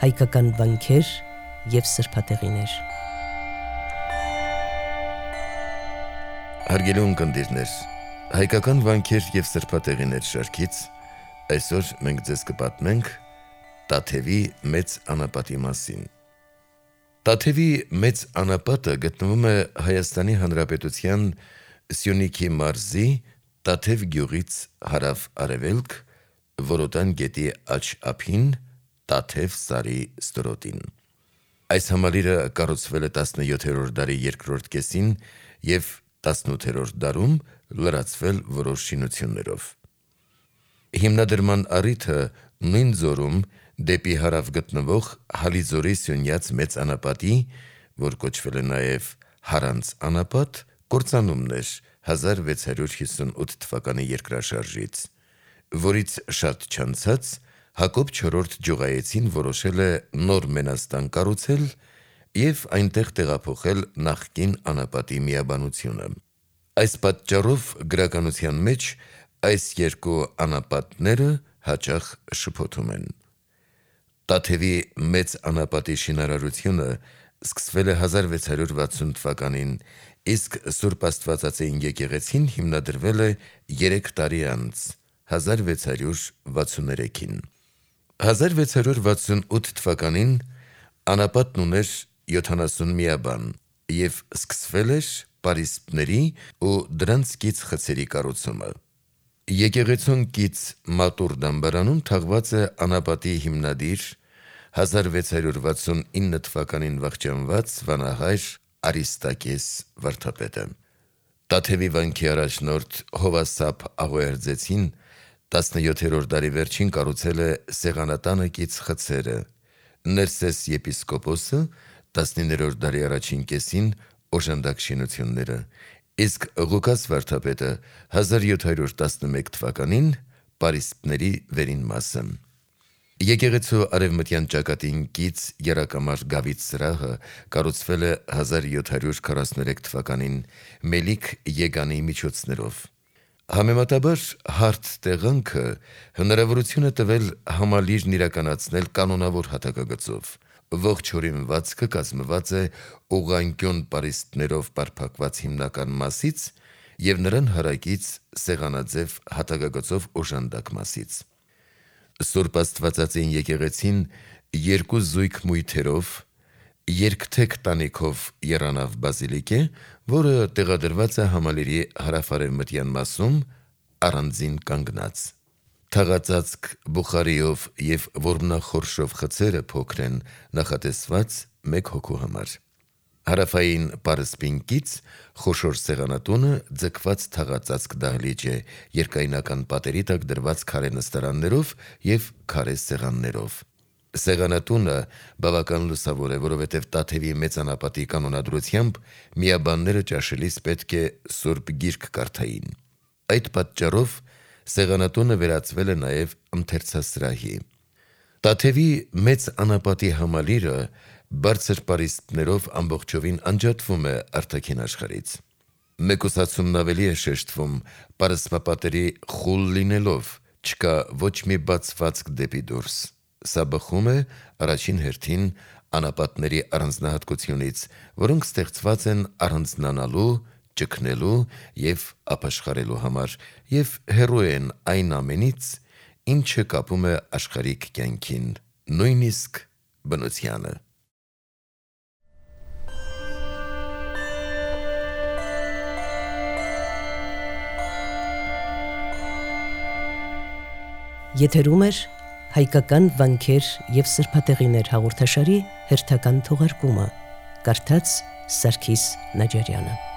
հայկական վանքեր և սրբատեղիներ։ Հարգելի ունկնդիրներ, հայկական վանքեր և սրբատեղիներ շարքից այսօր մենք ձեզ կպատմենք Տաթևի մեծ անապատի մասին։ Տաթևի մեծ անապատը գտնվում է Հայաստանի Հանրապետության Սյունիքի մարզի Տաթև գյուղից հարավ-արևելք, Որոտան գետի աջ ափին, Տաթև սարի ստորոտին։ Այս համալիրը կառուցվել է 17-րդ դարի երկրորդ կեսին և 18-րդ դարում լրացվել որոշ շինություններով։ Հիմնադրման առիթը նույն ձորում դեպի հարավ գտնվող Հալիձորի Սյունյաց մեծ անապատի, որ կոչվել է նաև Հարանց անապատ, կործանումն էր 1658 թվականի երկրաշարժից, որից շատ չանցած Հակոբ IV Ջուղայեցին որոշել է նոր մենաստան կառուցել և այնտեղ տեղափոխել նախկին անապատի միաբանությունը։ Այս պատճառով գրականության մեջ այս երկու անապատները հաճախ շփոթում են։ Տաթևի մեծ անապատի շինարարությունը սկսվել է 1660 թվականին, իսկ Սուրբ Աստվածածին եկեղեցին հիմնադրվել է 3 տարի անց, 1663-ին։ 1668 թվականին անապատն ուներ 70 միաբան և սկսվել էր պարիսպների ու դրանց կից խցերի կառուցումը։ Եկեղեցուն կից մատուռ դամբարանում թաղված է անապատի հիմնադիր 1669 թվականին վախճանված վանահայր Արիստակես վարդապետը։ Տաթևի վանքի առաջնորդ Հովասապ Աղոյարձեցին 17-րդ դարի վերջին կառուցել է Սեղանատանը կից խցերը, Ներսես եպիսկոպոսը 19-րդ դարի առաջին կեսին օժանդակ շինությունները, իսկ Ղուկաս վարդապետը 1711 թվականին պարիսպների վերին մասը։ Եկեղեցու արևմտյան ճակատին կից եռակամար գավիթ սրահը կառուցվել է 1743 թվականին Մելիք Եգանի միջոցներով։ Համեմատաբար հարթ տեղանքը հնարավորություն է տվել համալիրն իրականացնել կանոնավոր հատակագծով։ Ողջ հորինվածքը կազմված է ուղղանկյուն պարիսպներով պարփակված հիմնական մասից և նրան հարակից սեղանաձև հատակագծով օժանդակ մասից։ Սուրբ Աստվածածին եկեղեցին երկու զույգ մույթերով, երկթեք տանիքով եռանավ բազիլիկ է, որը տեղադրված է համալիրի հարավ-արևմտյան մասում, առանձին կանգնած։ Թաղածածկ բուխարիով և որմնախորշով խցերը փոքր են, նախատեսված 1 հոգու համար։ Հարավային պարսպին կից խոշոր սեղանատունը ձգված թաղածածկ դահլիճ է, երկայնական պատերի տակ դրված քարե նստարաններով և քարե սեղաններով։ Սեղանատունը բավական լուսավոր է, որովհետև Տաթևի մեծ անապատի կանոնադրությամբ միաբանները ճաշելիս պետք է Սուրբ Գիրք կարդային։ Այդ պատճառով սեղանատունը վերածվել է նաև ընթերցասրահի։ Տաթևի մեծ անապատի համալիրը բարձր պարիսպներով ամբողջովին անջատվում է արտաքին աշխարհից։ Մեկուսացումն ավելի է շեշտվում պարսպապատերի խուլ լինելով, չկա ոչ մի բացվածք դեպի դուրս։ Սա բխում է առաջին հերթին անապատների առանձնահատկությունից, որոնք ստեղծված են առանձնանալու, ճգնելու և ապաշխարելու համար և հեռու են այն ամենից, ինչը կապում է աշխարհիկ կյանքին, նույնիսկ բնությանը։ Եթերում է հայկական վանքեր և սրբատեղիներ հաղորդաշարի հերթական թողարկումը, կարդաց Սարգիս Նաջարյանը։